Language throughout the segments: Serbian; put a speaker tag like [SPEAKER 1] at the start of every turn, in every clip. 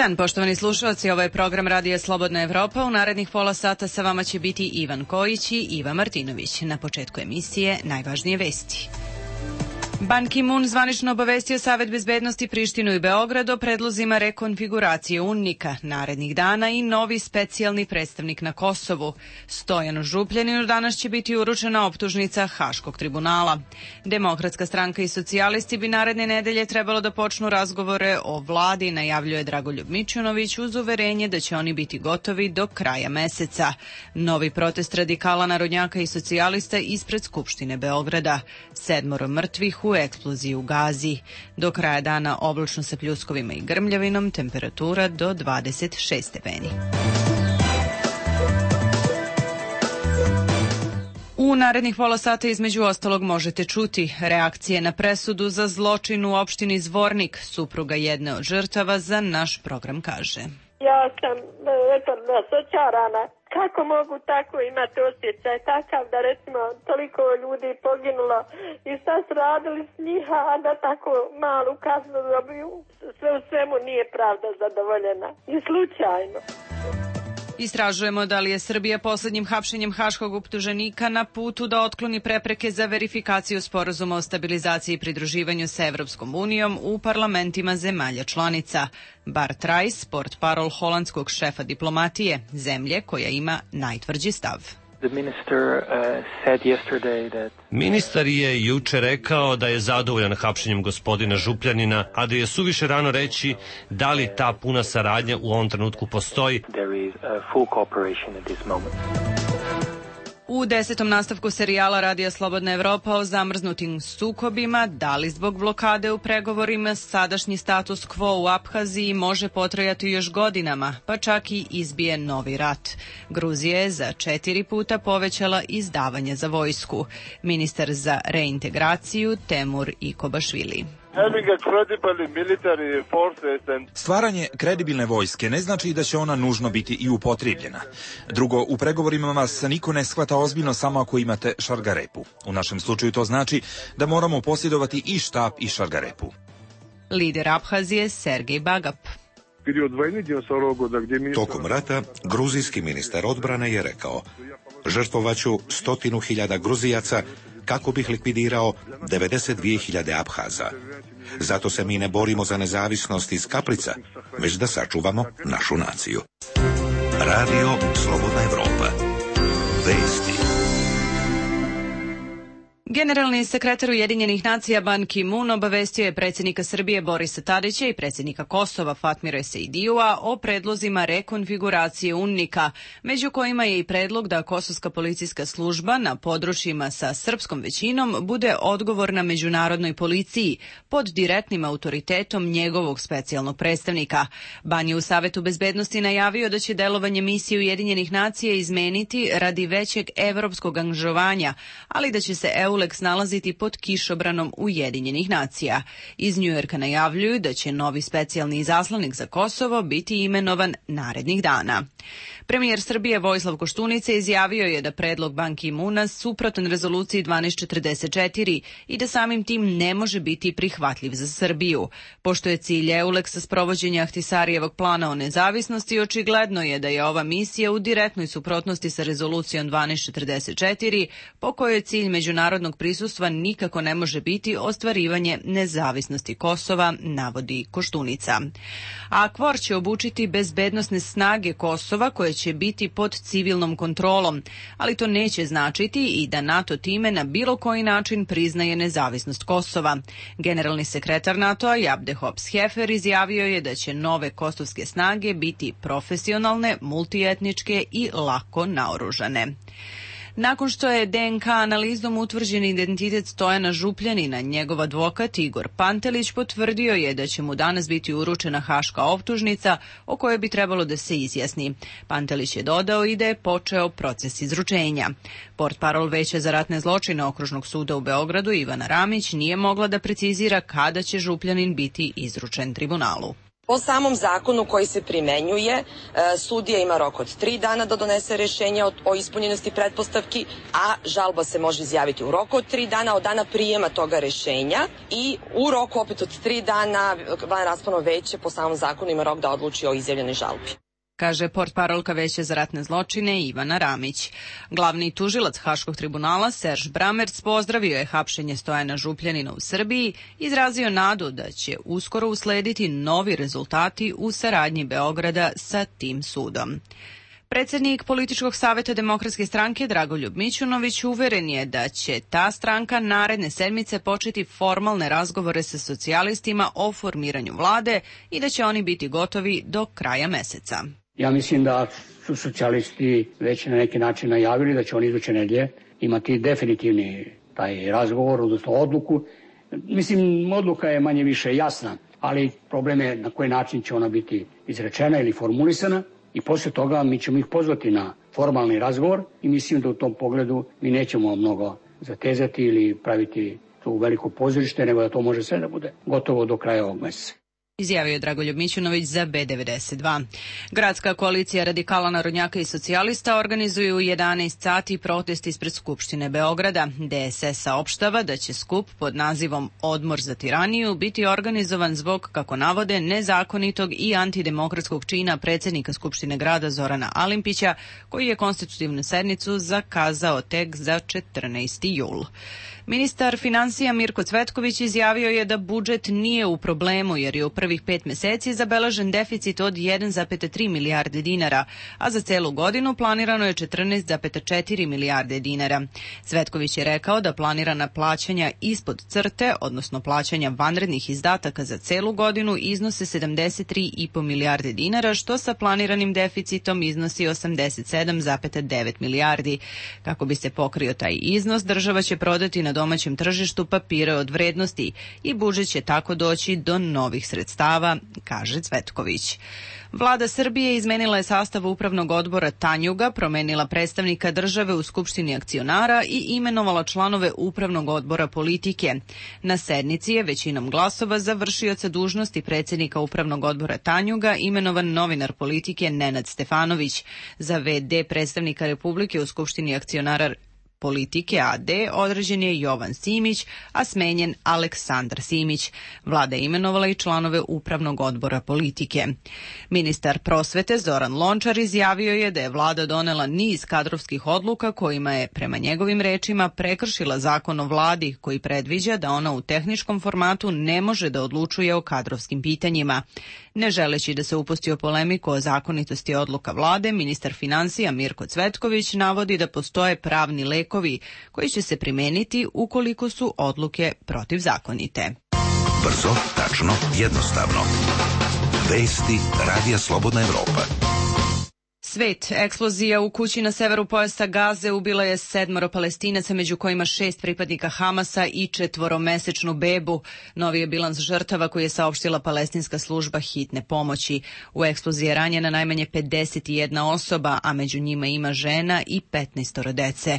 [SPEAKER 1] dan, poštovani slušalci, ovo je program Radija Slobodna Evropa. U narednih pola sata sa vama će biti Ivan Kojić i Iva Martinović. Na početku emisije najvažnije vesti. Ban Ki-moon zvanično obavestio Savet bezbednosti Prištinu i Beograd o predlozima rekonfiguracije UNMIK-a narednih dana i novi specijalni predstavnik na Kosovu. Stojanu Župljaninu danas će biti uručena optužnica Haškog tribunala. Demokratska stranka i socijalisti bi naredne nedelje trebalo da počnu razgovore o vladi, najavljuje Dragoljub Mićunović uz uverenje da će oni biti gotovi do kraja meseca. Novi protest radikala, narodnjaka i socijalista ispred Skupštine Beograda. 7 mrtvih u eksploziji u Gazi. Do kraja dana oblačno sa pljuskovima i grmljavinom, temperatura do 26 stepeni. U narednih pola sata između ostalog možete čuti reakcije na presudu za zločin u opštini Zvornik. Supruga jedne od žrtava za naš program kaže:
[SPEAKER 2] Ja sam razočarana. Kako mogu tako imati osjećaj takav da recimo toliko ljudi poginulo i šta su radili s njiha, a da tako malu kaznu dobiju? Sve u svemu nije pravda zadovoljena. I slučajno.
[SPEAKER 1] Istražujemo da li je Srbija poslednjim hapšenjem haškog optuženika na putu da otkloni prepreke za verifikaciju sporazuma o stabilizaciji i pridruživanju sa Evropskom unijom u parlamentima zemalja članica. Bart Rice, portparol holandskog šefa diplomatije, zemlje koja ima najtvrđi stav.
[SPEAKER 3] Ministar je juče rekao da je zadovoljan hapšenjem gospodina Župljanina, a da je suviše rano reći da li ta puna saradnja u ovom trenutku postoji.
[SPEAKER 1] U 10. nastavku serijala Radija Slobodna Evropa o zamrznutim sukobima, da li zbog blokade u pregovorima sadašnji status quo u Abhaziji može potrajati još godinama, pa čak i izbije novi rat. Gruzija je za 4 puta povećala izdavanje za vojsku. Ministar za reintegraciju Temur Ikobašvili.
[SPEAKER 4] Stvaranje kredibilne vojske ne znači da će ona nužno biti i upotrijebljena. Drugo, u pregovorima vas niko ne shvata ozbiljno samo ako imate šargarepu. U našem slučaju to znači da moramo posjedovati i štap i šargarepu.
[SPEAKER 1] Lider Abhazije Sergej Bagap.
[SPEAKER 5] Tokom rata, gruzijski ministar odbrane je rekao: žrtvovaću 100.000 Gruzijaca kako bih likvidirao 92.000 Abhaza. Zato se mi ne borimo za nezavisnost iz kaprica, već da sačuvamo našu naciju. Radio Slobodna Evropa. Vesti.
[SPEAKER 1] Generalni sekretar Ujedinjenih nacija Ban Ki-moon obavestio je predsjednika Srbije Borisa Tadića i predsjednika Kosova Fatmira Ejseidijua o predlozima rekonfiguracije UNMIK-a, među kojima je i predlog da kosovska policijska služba na područjima sa srpskom većinom bude odgovorna međunarodnoj policiji pod direktnim autoritetom njegovog specijalnog predstavnika. Ban je u Savetu bezbednosti najavio da će delovanje misije Ujedinjenih nacija izmeniti radi većeg evropskog angažovanja, ali da će se EULEX nalaziti pod kišobranom Ujedinjenih nacija. Iz Njujorka najavljuju da će novi specijalni izaslanik za Kosovo biti imenovan narednih dana. Premijer Srbije Vojislav Koštunica izjavio je da predlog Ban Ki-moona suprotan rezoluciji 1244 i da samim tim ne može biti prihvatljiv za Srbiju. Pošto je cilj EULEX-a sprovođenje Ahtisarijevog plana o nezavisnosti, očigledno je da je ova misija u direktnoj suprotnosti sa rezolucijom 1244, po kojoj cilj međunarodnog prisustva nikako ne može biti ostvarivanje nezavisnosti Kosova, navodi Koštunica. A KFOR će obučiti bezbednosne snage Kosova koje će biti pod civilnom kontrolom, ali to neće značiti i da NATO time na bilo koji način priznaje nezavisnost Kosova. Generalni sekretar NATO-a Jabde Hops-Hefer izjavio je da će nove kosovske snage biti profesionalne, multietničke i lako naoružane. Nakon što je DNK analizom utvrđen identitet Stojana Župljanina, njegov advokat Igor Pantelić potvrdio je da će mu danas biti uručena haška optužnica o kojoj bi trebalo da se izjasni. Pantelić je dodao i da je počeo proces izručenja. Portparol Veća za ratne zločine Okružnog suda u Beogradu Ivana Ramić nije mogla da precizira kada će Župljanin biti izručen tribunalu.
[SPEAKER 6] Po samom zakonu koji se primenjuje, sudija ima rok od 3 dana da donese rešenje o ispunjenosti pretpostavki, a žalba se može izjaviti u roku od 3 dana od dana prijema toga rešenja i u roku opet od 3 dana vanraspravno veće po samom zakonu ima rok da odluči o izjavljenoj žalbi,
[SPEAKER 1] kaže portparolka Veća za ratne zločine Ivana Ramić. Glavni tužilac Haškog tribunala Serž Bramerc pozdravio je hapšenje Stojana Župljanina u Srbiji, izrazio nadu da će uskoro uslediti novi rezultati u saradnji Beograda sa tim sudom. Predsednik Političkog saveta Demokratske stranke Dragoljub Mićunović uveren je da će ta stranka naredne sedmice početi formalne razgovore sa socijalistima o formiranju vlade i da će oni biti gotovi do kraja meseca.
[SPEAKER 7] Ja mislim da su socijalisti već na neki način najavili da će oni iduće nedelje imati definitivni taj razgovor, odnosno odluku. Mislim, odluka je manje više jasna, ali problem je na koji način će ona biti izrečena ili formulisana i posle toga mi ćemo ih pozvati na formalni razgovor i mislim da u tom pogledu mi nećemo mnogo zatezati ili praviti tu veliko pozorište, nego da to može sve da bude gotovo do kraja ovog meseca.
[SPEAKER 1] Izjavio je Dragoljub Mićunović za B92. Gradska koalicija radikala, narodnjaka i socijalista organizuju u 11 sati protest ispred Skupštine Beograda. DSS saopštava da će skup pod nazivom Odmor za tiraniju biti organizovan zbog, kako navode, nezakonitog i antidemokratskog čina predsednika Skupštine grada Zorana Alimpića, koji je konstitutivnu sednicu zakazao tek za 14. jul. Ministar finansija Mirko Cvetković izjavio je da budžet nije u problemu jer je u prvih 5 meseci zabeležen deficit od 1,3 milijarde dinara, a za celu godinu planirano je 14,4 milijarde dinara. Cvetković je rekao da planirana plaćanja ispod crte, odnosno plaćanja vanrednih izdataka za celu godinu, iznose 73,5 milijarde dinara, što sa planiranim deficitom iznosi 87,9 milijardi. Kako bi se pokrio taj iznos, država će prodati na domaćem tržištu papire od vrednosti i budžet će tako doći do novih sredstava, kaže Cvetković. Vlada Srbije izmenila je sastav upravnog odbora Tanjuga, promenila predstavnika države u Skupštini akcionara i imenovala članove upravnog odbora Politike. Na sednici je većinom glasova za vršioca dužnosti predsednika upravnog odbora Tanjuga imenovan novinar Politike Nenad Stefanović. Za VD predstavnika Republike u Skupštini akcionara Politike AD određen je Jovan Simić, a smenjen Aleksandar Simić. Vlada je imenovala i članove upravnog odbora Politike. Ministar prosvete Zoran Lončar izjavio je da je vlada donela niz kadrovskih odluka kojima je, prema njegovim rečima, prekršila zakon o vladi koji predviđa da ona u tehničkom formatu ne može da odlučuje o kadrovskim pitanjima. Ne želeći da se upusti o polemiku o zakonitosti odluka vlade, ministar finansija Mirko Cvetković navodi da postoje pravni lekovi koji će se primeniti ukoliko su odluke protivzakonite.
[SPEAKER 5] Brzo, tačno, jednostavno. Vesti Radija Slobodna Evropa.
[SPEAKER 1] Svet. Eksplozija u kući na severu pojasa Gaze ubila je 7 Palestinaca, među kojima 6 pripadnika Hamasa i 4-mesečnu bebu. Novi je bilans žrtava koji je saopštila palestinska služba hitne pomoći. U eksploziji je ranjena najmanje 51 osoba, a među njima ima žena i 15 dece.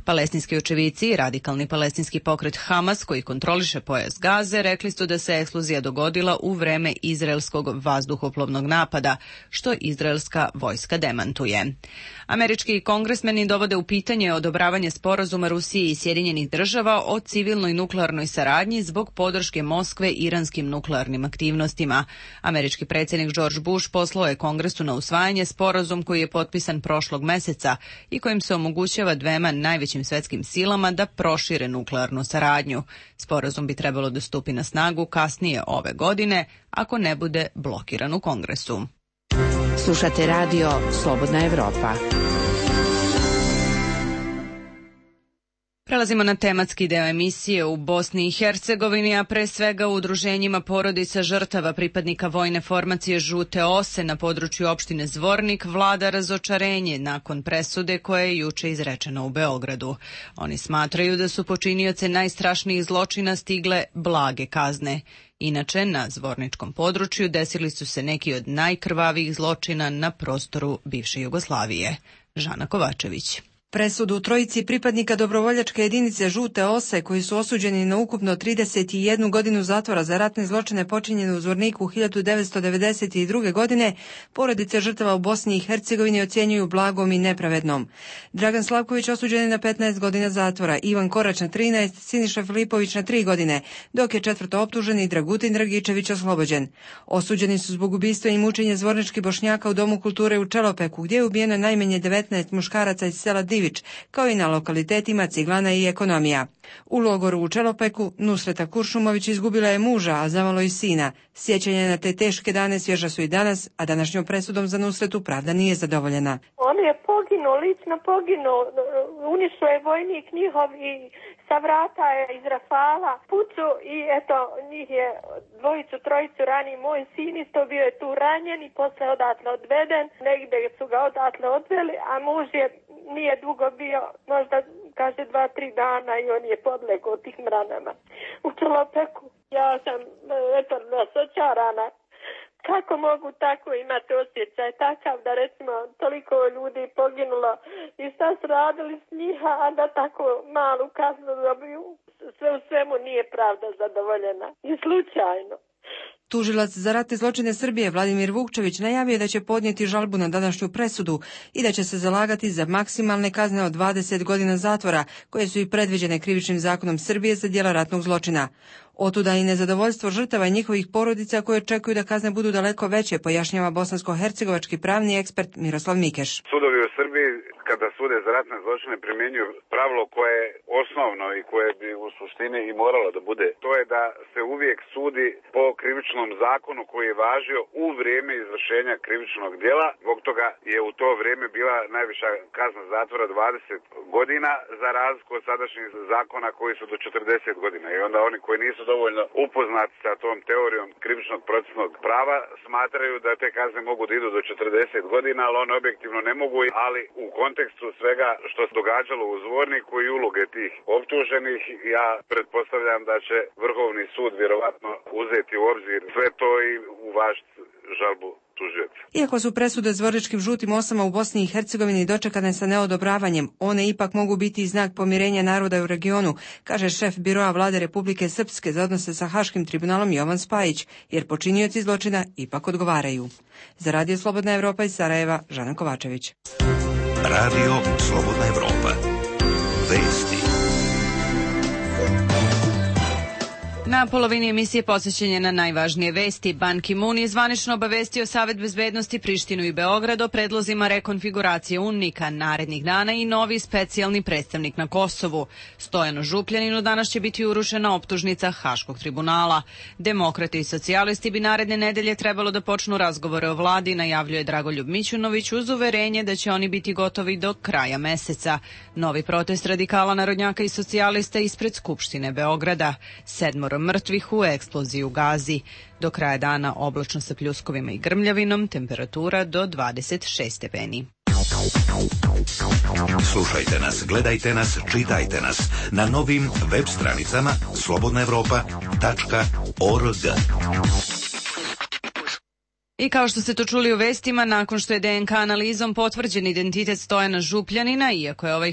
[SPEAKER 1] Palestinski očevici i radikalni palestinski pokret Hamas, koji kontroliše pojas Gaze, rekli su da se eksplozija dogodila u vreme izraelskog vazduhoplovnog napada, što izraelska vojska demantuje. Američki kongresmeni dovode u pitanje odobravanje sporazuma Rusije i Sjedinjenih država o civilnoj nuklearnoj saradnji zbog podrške Moskve iranskim nuklearnim aktivnostima. Američki predsjednik George Bush poslao je Kongresu na usvajanje sporazum koji je potpisan prošlog meseca i kojim se omogućava dvema najvećim svetskim silama da prošire nuklearnu saradnju. Sporazum bi trebalo da stupi na snagu kasnije ove godine, ako ne bude blokiran u Kongresu.
[SPEAKER 8] Slušate radio Slobodna Evropa.
[SPEAKER 1] Prelazimo na tematski deo emisije. U Bosni i Hercegovini, a pre svega u udruženjima porodica žrtava pripadnika vojne formacije Žute ose na području opštine Zvornik, vlada razočarenje nakon presude koja je juče izrečena u Beogradu. Oni smatraju da su počinioce najstrašnijih zločina stigle blage kazne. Inače, na zvorničkom području desili su se neki od najkrvavijih zločina na prostoru bivše Jugoslavije. Žana Kovačević.
[SPEAKER 9] Presudu trojici pripadnika dobrovoljačke jedinice Žute ose, koji su osuđeni na ukupno 31 godinu zatvora za ratne zločine počinjene u Zvorniku 1992. godine, porodice žrtava u Bosni i Hercegovini ocjenjuju blagom i nepravednom. Dragan Slavković osuđen je na 15 godina zatvora, Ivan Korać na 13, Siniša Filipović na 3 godine, dok je četvrto optuženi Dragutin Dragičević oslobođen. Osuđeni su zbog ubistva i mučenja zvorničkih Bošnjaka u Domu kulture u Čelopeku, gdje je ubijeno najmanje 19 muškaraca iz sela Divić, kao i na lokalitetima Ciglana i Ekonomija. U logoru u Čelopeku Nusreta Kuršumović izgubila je muža, a zamalo i sina. Sjećanje na te teške dane svježa su i danas, a današnjom presudom za Nusretu pravda nije zadovoljena.
[SPEAKER 2] On je poginuo, lično poginuo, uništio je vojnik njihov i sa vrata je iz rafala pucu i eto, njih je dvojicu, trojicu rani. Moj sin isto bio je tu ranjen i posle odatle odveden, negdje su ga odatle odveli, a muž je nije dugo bio, možda kaže 2-3 dana i on je podlegao tih mranama u Čelopeku. Ja sam eto razočarana. Kako mogu tako imati osjećaj takav da recimo toliko ljudi poginulo i šta su radili s njiha, a da tako malu kaznu dobiju? Sve u svemu nije pravda zadovoljena i slučajno.
[SPEAKER 9] Tužilac za ratne zločine Srbije Vladimir Vukčević najavio da će podnijeti žalbu na današnju presudu i da će se zalagati za maksimalne kazne od 20 godina zatvora, koje su i predviđene Krivičnim zakonom Srbije za djela ratnog zločina. Otuda i nezadovoljstvo žrtava i njihovih porodica koje očekuju da kazne budu daleko veće, pojašnjava bosansko-hercegovački pravni ekspert Miroslav Mikeš.
[SPEAKER 10] Sudovi u Srbiji kada sude za ratne zločine primjenjuju pravilo koje je osnovno i koje bi u suštini i moralo da bude. To je da se uvijek sudi po krivičnom zakonu koji je važio u vrijeme izvršenja krivičnog djela. Zbog toga je u to vrijeme bila najviša kazna zatvora 20 godina za razliku od sadašnjih zakona koji su do 40 godina. I onda oni koji nisu dovoljno upoznati sa tom teorijom krivičnog procesnog prava smatraju da te kazne mogu da idu do 40 godina, ali one objektivno ne mogu, ali u kontekstu svega što se događalo u Zvorniku i uloge tih optuženih, ja pretpostavljam da će Vrhovni sud vjerovatno uzeti u obzir sve to i uvažiti žalbu tužioca.
[SPEAKER 9] Iako su presude zvorničkim žutim osama u Bosni i Hercegovini dočekane sa neodobravanjem, one ipak mogu biti i znak pomirenja naroda u regionu, kaže šef biroa Vlade Republike Srpske za odnose sa Haškim tribunalom Jovan Spajić, jer počinioci zločina ipak odgovaraju. Za Radio Slobodna Evropa iz Sarajeva, Žana Kovačević.
[SPEAKER 5] Radio Slobodna Evropa. Vesti.
[SPEAKER 1] Na polovini emisije posvećenje na najvažnije vesti. Ban Ki-moon je zvanično obavestio Savet bezbednosti Prištinu i Beograd o predlozima rekonfiguracije UNMIK-a narednih dana i novi specijalni predstavnik na Kosovu. Stojanu Župljaninu danas će biti urušena optužnica Haškog tribunala. Demokrati i socijalisti bi naredne nedelje trebalo da počnu razgovore o vladi, najavljuje Dragoljub Mićunović uz uverenje da će oni biti gotovi do kraja meseca. Novi protest radikala, narodnjaka i socijalista ispred Skupštine Beograda. 7 mrtvih u eksploziji u Gazi. Do kraja dana oblačno sa pljuskovima i grmljavinom, temperatura do 26 stepeni.
[SPEAKER 5] Slušajte nas, gledajte nas, čitajte nas na novim web stranicama slobodnaevropa.org.
[SPEAKER 1] I kao što ste to čuli u vestima, nakon što je DNK analizom potvrđen identitet Stojana Župljanina, iako je ovaj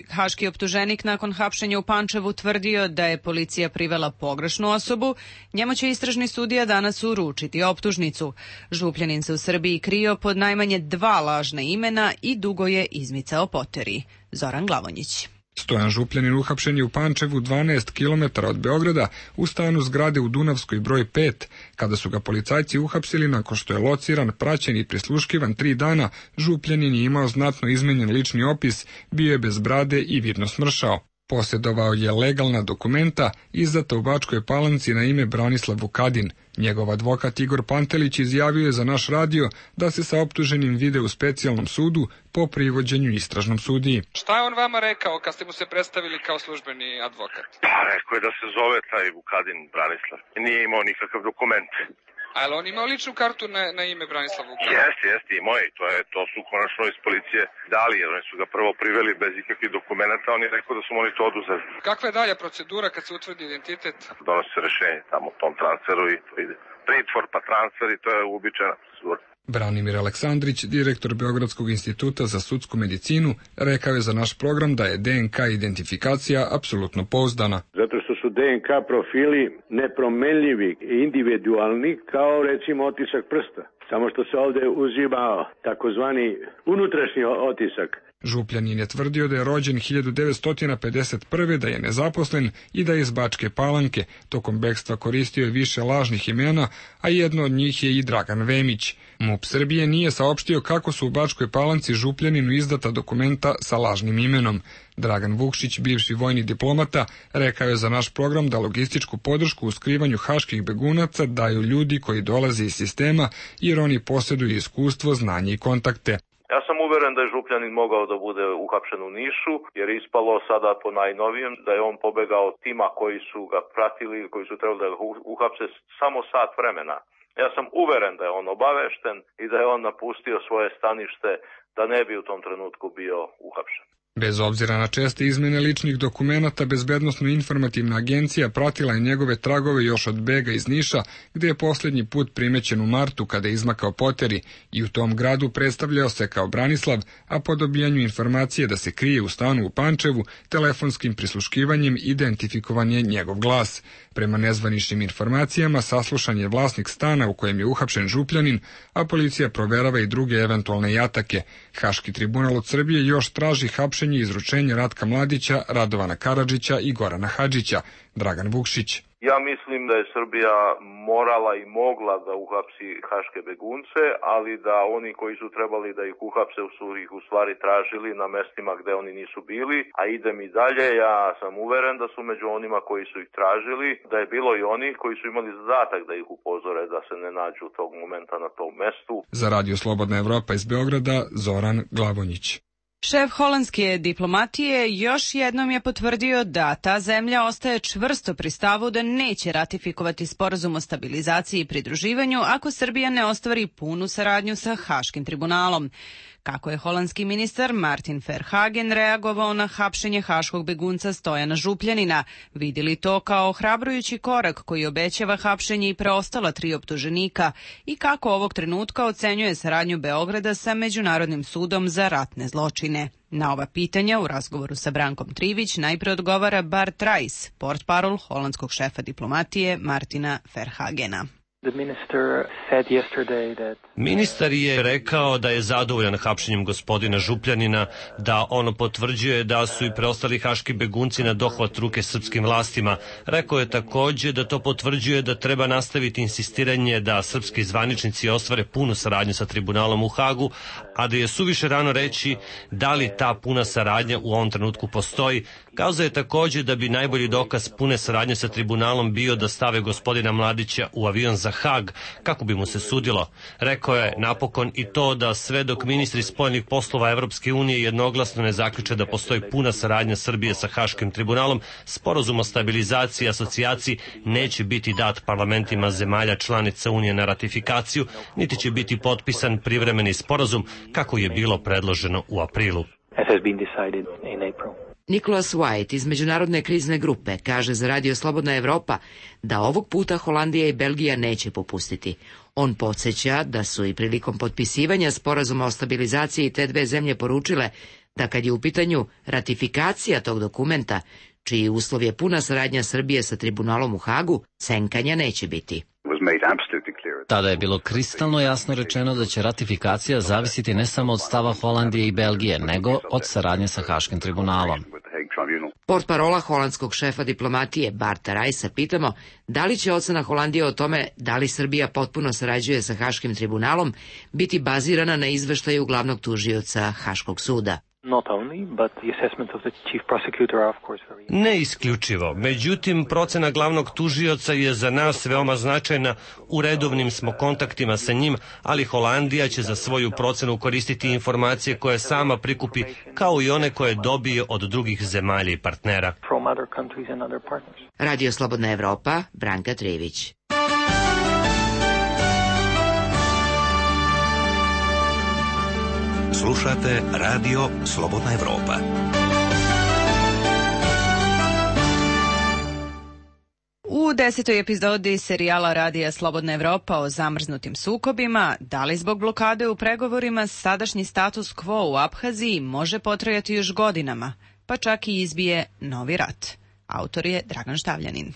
[SPEAKER 1] haški optuženik nakon hapšenja u Pančevu tvrdio da je policija privela pogrešnu osobu, njemu će istražni sudija danas uručiti optužnicu. Župljanin se u Srbiji krio pod najmanje 2 lažna imena i dugo je izmicao poteri. Zoran Glavonjić.
[SPEAKER 11] Stojan Župljanin uhapšen je u Pančevu 12 km od Beograda u stanu zgrade u Dunavskoj broj 5. Kada su ga policajci uhapsili nakon što je lociran, praćen i prisluškivan 3 dana, Župljanin je imao znatno izmenjen lični opis, bio je bez brade i vidno smršao. Posjedovao je legalna dokumenta izdata u Bačkoj Palanci na ime Branislav Vukadin. Njegov advokat Igor Pantelić izjavio je za naš radio da se sa optuženim vide u specijalnom sudu po privođenju istražnom sudiji.
[SPEAKER 12] Šta je on vama rekao kad ste mu se predstavili kao službeni advokat?
[SPEAKER 13] Pa rekao je da se zove taj Vukadin Branislav. Nije imao nikakav dokument.
[SPEAKER 12] Ali on imao ličnu kartu na ime Branislav Vukadin?
[SPEAKER 13] Jeste, imao je. To su konačno iz policije dali, jer oni su ga prvo priveli bez ikakvih dokumenta, on je rekao da su oni to oduzeli.
[SPEAKER 12] Kakva je dalja procedura kad se utvrdi identitet?
[SPEAKER 13] Donosi se rešenje tamo o tom transferu i to ide. Pritvor pa transfer i to je uobičajena procedura.
[SPEAKER 11] Branimir Aleksandrić, direktor Beogradskog instituta za sudsku medicinu, rekao je za naš program da je DNK identifikacija apsolutno pouzdana.
[SPEAKER 14] Zato što su DNK profili nepromenljivi i individualni kao recimo otisak prsta. Samo što se ovde uzima takozvani unutrašnji otisak.
[SPEAKER 11] Župljanin je tvrdio da je rođen 1951. da je nezaposlen i da je iz Bačke Palanke. Tokom bekstva koristio je više lažnih imena, a jedno od njih je i Dragan Vemić. MUP Srbije nije saopštio kako su u Bačkoj Palanci Župljaninu izdata dokumenta sa lažnim imenom. Dragan Vukšić, bivši vojni diplomata, rekao je za naš program da logističku podršku u skrivanju haških begunaca daju ljudi koji dolaze iz sistema jer oni posjeduju iskustvo, znanje i kontakte.
[SPEAKER 13] Ja sam uveren da je Župljanin mogao da bude uhapšen u Nišu, jer je ispalo sada po najnovijem da je on pobegao od tima koji su ga pratili, koji su trebali da ga uhapse samo sat vremena. Ja sam uveren da je on obavešten i da je on napustio svoje stanište da ne bi u tom trenutku bio uhapšen.
[SPEAKER 11] Bez obzira na česte izmene ličnih dokumenata, Bezbednosno-informativna agencija pratila je njegove tragove još od bega iz Niša, gde je posljednji put primećen u martu kada je izmakao poteri i u tom gradu predstavljao se kao Branislav, a po dobijanju informacije da se krije u stanu u Pančevu, telefonskim prisluškivanjem identifikovan je njegov glas. Prema nezvaničnim informacijama, saslušan je vlasnik stana u kojem je uhapšen Župljanin, a policija proverava i druge eventualne jatake. Haški tribunal od Srbije još traži hapšenje i izručenje Ratka Mladića, Radovana Karadžića i Gorana Hadžića. Dragan Vukšić.
[SPEAKER 13] Ja mislim da je Srbija morala i mogla da uhapsi haške begunce, ali da oni koji su trebali da ih uhapse su ih u stvari tražili na mestima gde oni nisu bili, a idem i dalje, ja sam uveren da su među onima koji su ih tražili, da je bilo i oni koji su imali zadatak da ih upozore da se ne nađu tog momenta na tom mestu.
[SPEAKER 11] Za Radio Slobodna Evropa iz Beograda, Zoran Glavonjić.
[SPEAKER 1] Šef holandske diplomatije još jednom je potvrdio da ta zemlja ostaje čvrsto pri stavu da neće ratifikovati sporazum o stabilizaciji i pridruživanju ako Srbija ne ostvari punu saradnju sa Haškim tribunalom. Kako je holandski ministar Martin Verhagen reagovao na hapšenje haškog begunca Stojana Župljanina, vidjeli to kao ohrabrujući korak koji obećava hapšenje i preostala 3 optuženika i kako ovog trenutka ocenjuje saradnju Beograda sa Međunarodnim sudom za ratne zločine. Na ova pitanja u razgovoru sa Brankom Trivić najpre odgovara Bart Rajs, portparol holandskog šefa diplomatije Martina Verhagena.
[SPEAKER 3] Ministar je rekao da je zadovoljan hapšenjem gospodina Župljanina, da ono potvrđuje da su i preostali haški begunci na dohvat ruke srpskim vlastima. Rekao je takođe da to potvrđuje da treba nastaviti insistiranje da srpski zvaničnici ostvare punu saradnju sa tribunalom u Hagu, a da je suviše rano reći da li ta puna saradnja u ovom trenutku postoji. Kazao je takođe da bi najbolji dokaz pune saradnje sa tribunalom bio da stave gospodina Mladića u avion za Hag kako bi mu se sudilo. Rekao je napokon i to da sve dok ministri spoljnih poslova Evropske unije jednoglasno ne zaključe da postoji puna saradnja Srbije sa Haškim tribunalom, sporazum o stabilizaciji i asocijaciji neće biti dat parlamentima zemalja članica Unije na ratifikaciju, niti će biti potpisan privremeni sporazum kako je bilo predloženo u aprilu.
[SPEAKER 8] Nicholas White iz Međunarodne krizne grupe kaže za Radio Slobodna Evropa da ovog puta Holandija i Belgija neće popustiti. On podsjeća da su i prilikom potpisivanja sporazuma o stabilizaciji te dve zemlje poručile da kad je u pitanju ratifikacija tog dokumenta, čiji uslov je puna saradnja Srbije sa tribunalom u Hagu, senkanja neće biti.
[SPEAKER 15] Tada je bilo kristalno jasno rečeno da će ratifikacija zavisiti ne samo od stava Holandije i Belgije, nego od saradnje sa Haškim tribunalom.
[SPEAKER 8] Portparola holandskog šefa diplomatije Barta Rajsa pitamo da li će ocena Holandije o tome da li Srbija potpuno sarađuje sa Haškim tribunalom biti bazirana na izveštaju glavnog tužioca Haškog suda.
[SPEAKER 3] Ne isključivo. Međutim, procena glavnog tužioca je za nas veoma značajna. U redovnim smo kontaktima sa njim, ali Holandija će za svoju procenu koristiti informacije koje sama prikupi, kao i one koje dobije od drugih zemalja i partnera.
[SPEAKER 8] Radio Slobodna Evropa, Branka Trivić.
[SPEAKER 5] Slušate Radio Slobodna
[SPEAKER 1] U U 10. epizodi serijala Radija Slobodna Evropa o zamrznutim sukobima, da li zbog blokade u pregovorima sadašnji status quo u Abhaziji može potrajati još godinama, pa čak i izbije novi rat. Autor je Dragan Štavljanin.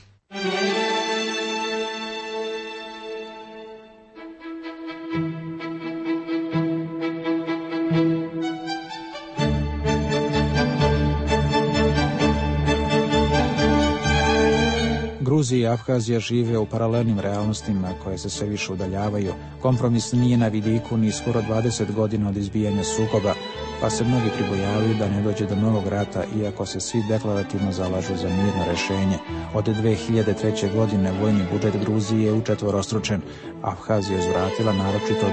[SPEAKER 16] Gruzija i Abhazija žive u paralelnim realnostima koje se sve više udaljavaju. Kompromis nije na vidiku ni skoro 20 godina od izbijanja sukoba, pa se mnogi pribojavaju da ne dođe do novog rata, iako se svi deklarativno zalažu za mirno rešenje. Od 2003. godine vojni budžet Gruzije je učetvorostručen. Abhazija je uzvratila naročito od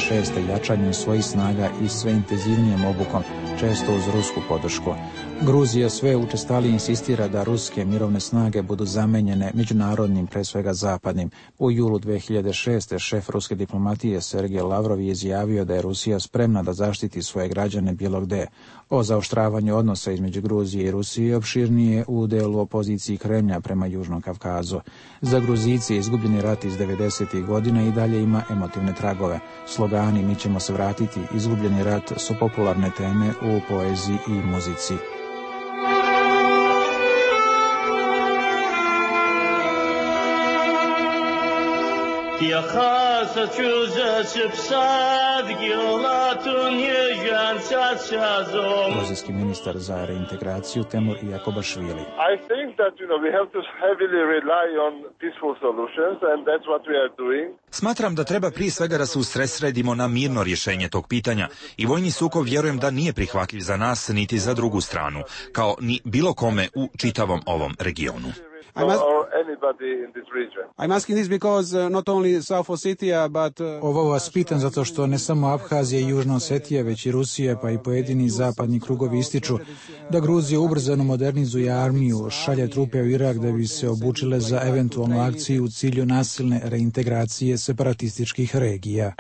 [SPEAKER 16] 2006. jačanjem svojih snaga i sve intenzivnijom obukom, često uz rusku podršku. Gruzija sve učestalije insistira da ruske mirovne snage budu zamenjene međunarodnim, pre svega zapadnim. U julu 2006. šef ruske diplomatije Sergej Lavrov je izjavio da je Rusija spremna da zaštiti svoje građane bilo gde. O zaoštravanju odnosa između Gruzije i Rusije opširnije u delu opoziciji Kremlja prema Južnom Kavkazu. Za Gruzijce izgubljeni rat iz 90. godina i dalje ima emotivne tragove. Slogani "Mi ćemo se vratiti", izgubljeni rat su popularne teme u poeziji i muzici. Gruzijski ministar za reintegraciju Temur Jakobašvili.
[SPEAKER 4] Smatram da treba prije svega da se usredsredimo na mirno rješenje tog pitanja i vojni sukob vjerujem da nije prihvatljiv za nas niti za drugu stranu, kao ni bilo kome u čitavom ovom regionu.
[SPEAKER 16] Ovo vas pitam zato što ne samo Abhazija i Južna Osetija, već i Rusija, pa i pojedini zapadni krugovi ističu da Gruzija ubrzano modernizuje armiju, šalje trupe u Irak da bi se obučile za eventualnu akciju u cilju nasilne reintegracije separatističkih regija.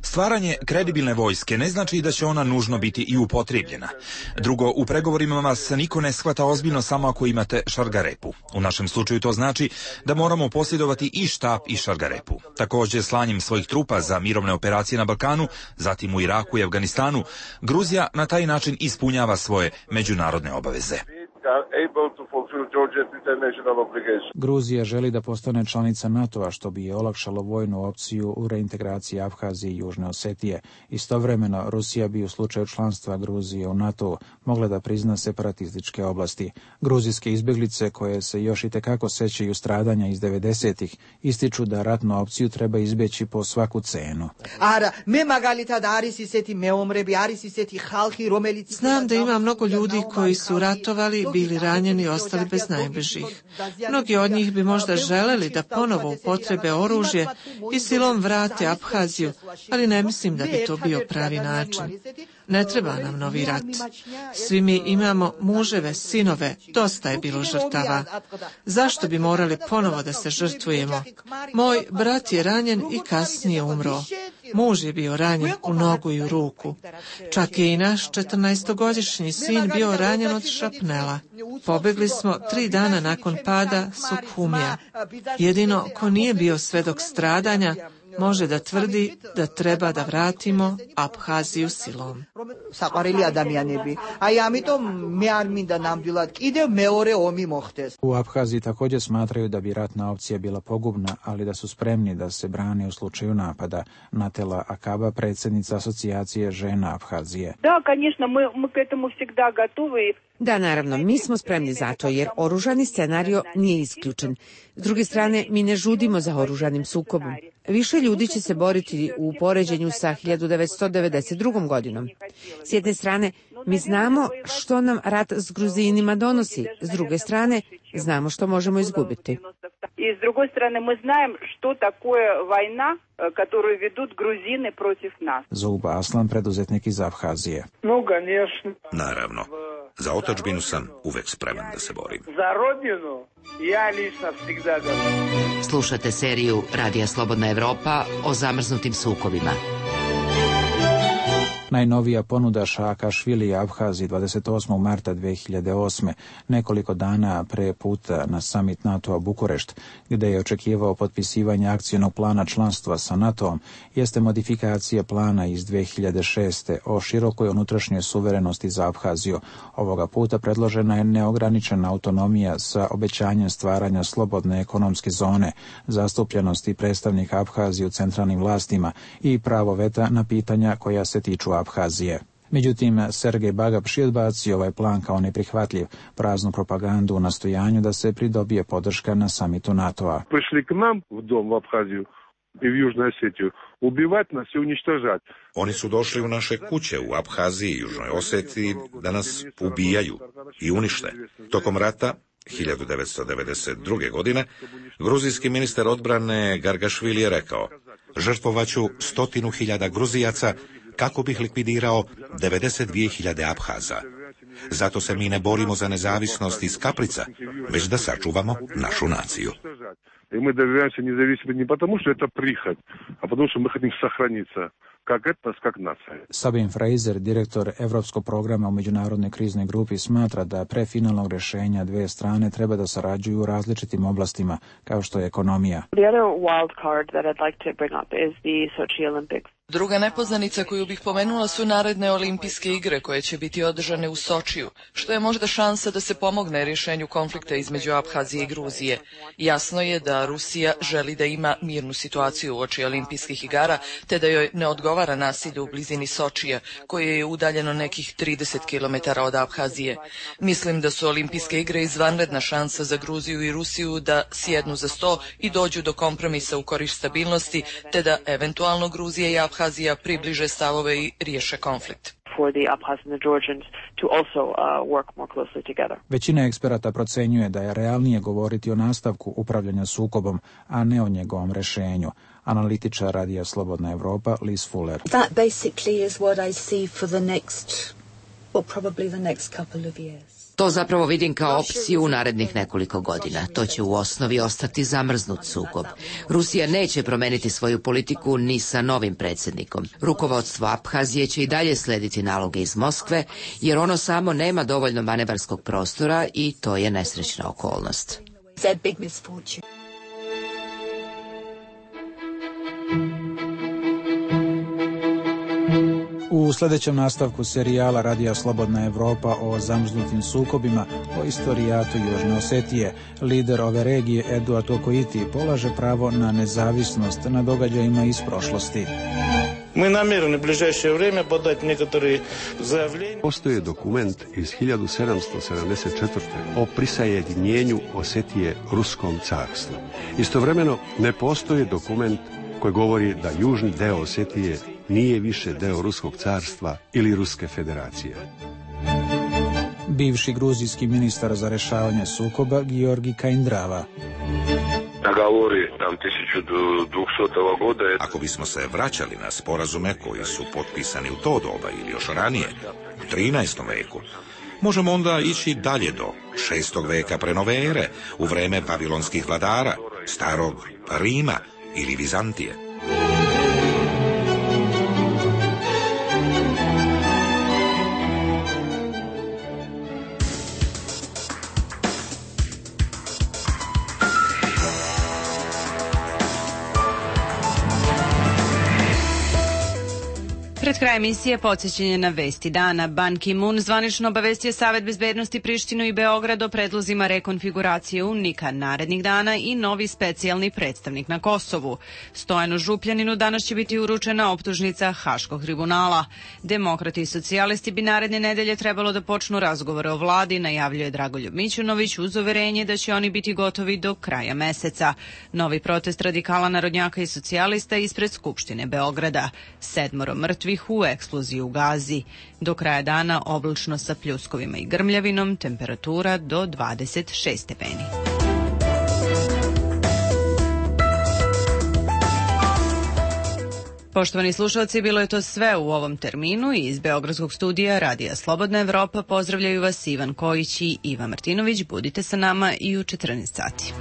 [SPEAKER 4] Stvaranje kredibilne vojske ne znači da će ona nužno biti i upotrijebljena. Drugo, u pregovorima vas niko ne shvata ozbiljno samo ako imate šargarepu. U našem slučaju to znači da moramo posjedovati i štap i šargarepu. Također, slanjem svojih trupa za mirovne operacije na Balkanu, zatim u Iraku i Afganistanu, Gruzija na taj način ispunjava svoje međunarodne obaveze.
[SPEAKER 16] Gruzija želi da postane članica NATO-a, što bi je olakšalo vojnu opciju u reintegraciji Abhazije i Južne Osetije. Istovremeno, Rusija bi u slučaju članstva Gruzije u NATO mogla da prizna separatističke oblasti. Gruzijske izbjeglice, koje se još i tekako sećaju stradanja iz 90-ih, ističu da ratnu opciju treba izbjeći po svaku cenu.
[SPEAKER 17] Znam da ima mnogo ljudi koji su ratovali, bili ranjeni i ostali bez najbližih. Mnogi od njih bi možda želeli da ponovo upotrebe oružje i silom vrate Abhaziju, ali ne mislim da bi to bio pravi način. Ne treba nam novi rat. Svi mi imamo muževe, sinove, dosta je bilo žrtava. Zašto bi morali ponovo da se žrtvujemo? Moj brat je ranjen i kasnije umro. Muž je bio ranjen u nogu i u ruku. Čak je i naš 14-godišnji sin bio ranjen od šrapnela. Pobegli smo 3 dana nakon pada Sukhumija. Jedino ko nije bio svedok stradanja može da tvrdi da treba da vratimo Abhaziju silom.
[SPEAKER 16] U Abhaziji također smatraju da bi ratna opcija bila pogubna, ali da su spremni da se brane u slučaju napada. Natela Akaba, predsjednica asocijacije žena Abhazije.
[SPEAKER 18] Da, naravno, mi smo spremni za to, jer oružani scenario nije isključen. S druge strane, mi ne žudimo za oružanim sukobom. Više ljudi će se boriti u poređenju sa 1992. godinom. S jedne strane, mi znamo što nam rat s Gruzinima donosi. S druge strane, znamo što možemo izgubiti.
[SPEAKER 19] I s druge strane, mi znamo što такое война, которую ведут грузины против нас.
[SPEAKER 16] Zouba Aslan, preduzetnik iz Abhazije.
[SPEAKER 5] Naravno. Za otadžbinu sam uvek spreman da se borim.
[SPEAKER 19] Za rodinu ja lično всегда готов.
[SPEAKER 8] Slušate seriju Radija Slobodna Evropa o zamrznutim sukobima.
[SPEAKER 16] Najnovija ponuda Saakašvili Abhaziji 28. marta 2008. nekoliko dana pre puta na samit NATO-a Bukurešt, gde je očekivao potpisivanje akcionog plana članstva sa NATO-om, jeste modifikacija plana iz 2006. o širokoj unutrašnjoj suverenosti za Abhaziju. Ovoga puta predložena je neograničena autonomija sa obećanjem stvaranja slobodne ekonomske zone, zastupljenosti predstavnika Abhazije u centralnim vlastima i pravo veta na pitanja koja se tiču Abhazije. Međutim, Sergej Bagapši odbacio ovaj plan kao neprihvatljiv, praznu propagandu u nastojanju da se pridobije podrška na samitu NATO-a.
[SPEAKER 20] Prišli k nam u dom u Abhaziju i u Južnoj Osetiju, ubivati nas i uništavati.
[SPEAKER 5] Oni su došli u naše kuće u Abhaziji i Južnoj Osetiji da nas ubijaju i unište. Tokom rata 1992. godine gruzijski ministar odbrane Gargašvili je rekao: žrtvovaću 100.000 Gruzijaca kako bih likvidirao 92.000 Abhaza. Zato se mi ne borimo za nezavisnost iz kaprica, već da sačuvamo našu naciju.
[SPEAKER 20] I mi dobivamo nezavisnost ne потому, što je to prihod, a потому, što mi hoćemo sahraniti как etnos, как nacija.
[SPEAKER 16] Sabin Fraser, direktor Evropskog programa u međunarodnoj kriznoj grupi, smatra da pre finalnog rešenja dve strane treba da sarađuju u različitim oblastima, kao što je ekonomija.
[SPEAKER 21] The other wild card that I'd like to bring up is the Sochi Olympics.
[SPEAKER 22] Druga nepoznanica koju bih pomenula su naredne olimpijske igre koje će biti održane u Sočiju, što je možda šansa da se pomogne rješenju konflikta između Abhazije i Gruzije. Jasno je da Rusija želi da ima mirnu situaciju uoči olimpijskih igara, te da joj ne odgovara nasilje u blizini Sočija, koje je udaljeno nekih 30 km od Abhazije. Mislim da su olimpijske igre izvanredna šansa za Gruziju i Rusiju da sjednu za sto i dođu do kompromisa u korist stabilnosti, te da eventualno Gruzija i Abhazija približe stavove i riješe konflikt.
[SPEAKER 16] Većina eksperata procenjuje da je realnije govoriti o nastavku upravljanja sukobom, a ne o njegovom rešenju. Analitičar Radija Slobodna Evropa Liz Fuller.
[SPEAKER 23] That basically is what I see for the next, well, probably the next couple of years.
[SPEAKER 8] To zapravo vidim kao opciju u narednih nekoliko godina. To će u osnovi ostati zamrznut sukob. Rusija neće promeniti svoju politiku ni sa novim predsjednikom. Rukovodstvo Abhazije će i dalje slediti naloge iz Moskve, jer ono samo nema dovoljno manevarskog prostora i to je nesrećna okolnost.
[SPEAKER 16] U sljedećem nastavku serijala Radija Slobodna Evropa o zamrznutim sukobima, o istorijatu Južne Osetije, lider ove regije Eduard Okoiti polaže pravo na nezavisnost na događajima iz prošlosti.
[SPEAKER 24] Postoji dokument iz 1774. o prisajedinjenju Osetije Ruskom carstvu. Istovremeno ne postoji dokument koji govori da južni deo Osetije nije više deo Ruskog carstva ili Ruske federacije.
[SPEAKER 16] Bivši gruzijski ministar za rešavanje sukoba Georgi Kaindrava.
[SPEAKER 5] Ako bismo se vraćali na sporazume koji su potpisani u to doba ili još ranije, u 13. veku, možemo onda ići dalje do 6. veka pre nove ere, u vreme babilonskih vladara, starog Rima ili Vizantije.
[SPEAKER 1] Pred kraj emisije podsjećanje na vesti dana. Ban Ki-moon zvanično obavestio Savet bezbednosti Prištinu i Beograd o predlozima rekonfiguracije UNMIK-a narednih dana i novi specijalni predstavnik na Kosovu. Stojanu Župljaninu danas će biti uručena optužnica Haškog tribunala. Demokrati i socijalisti bi naredne nedelje trebalo da počnu razgovore o vladi, najavljuje Dragoljub Mićunović uz uverenje da će oni biti gotovi do kraja meseca. Novi protest radikala, narodnjaka i socijalista ispred Skupštine Beograda. 7 mrtvih u eksploziji u Gazi. Do kraja dana oblačno sa pljuskovima i grmljavinom, temperatura do 26 stepeni. Poštovani slušalci, bilo je to sve u ovom terminu i iz Beogradskog studija Radija Slobodna Evropa pozdravljaju vas Ivan Kojić i Iva Martinović. Budite sa nama i u 14 sati.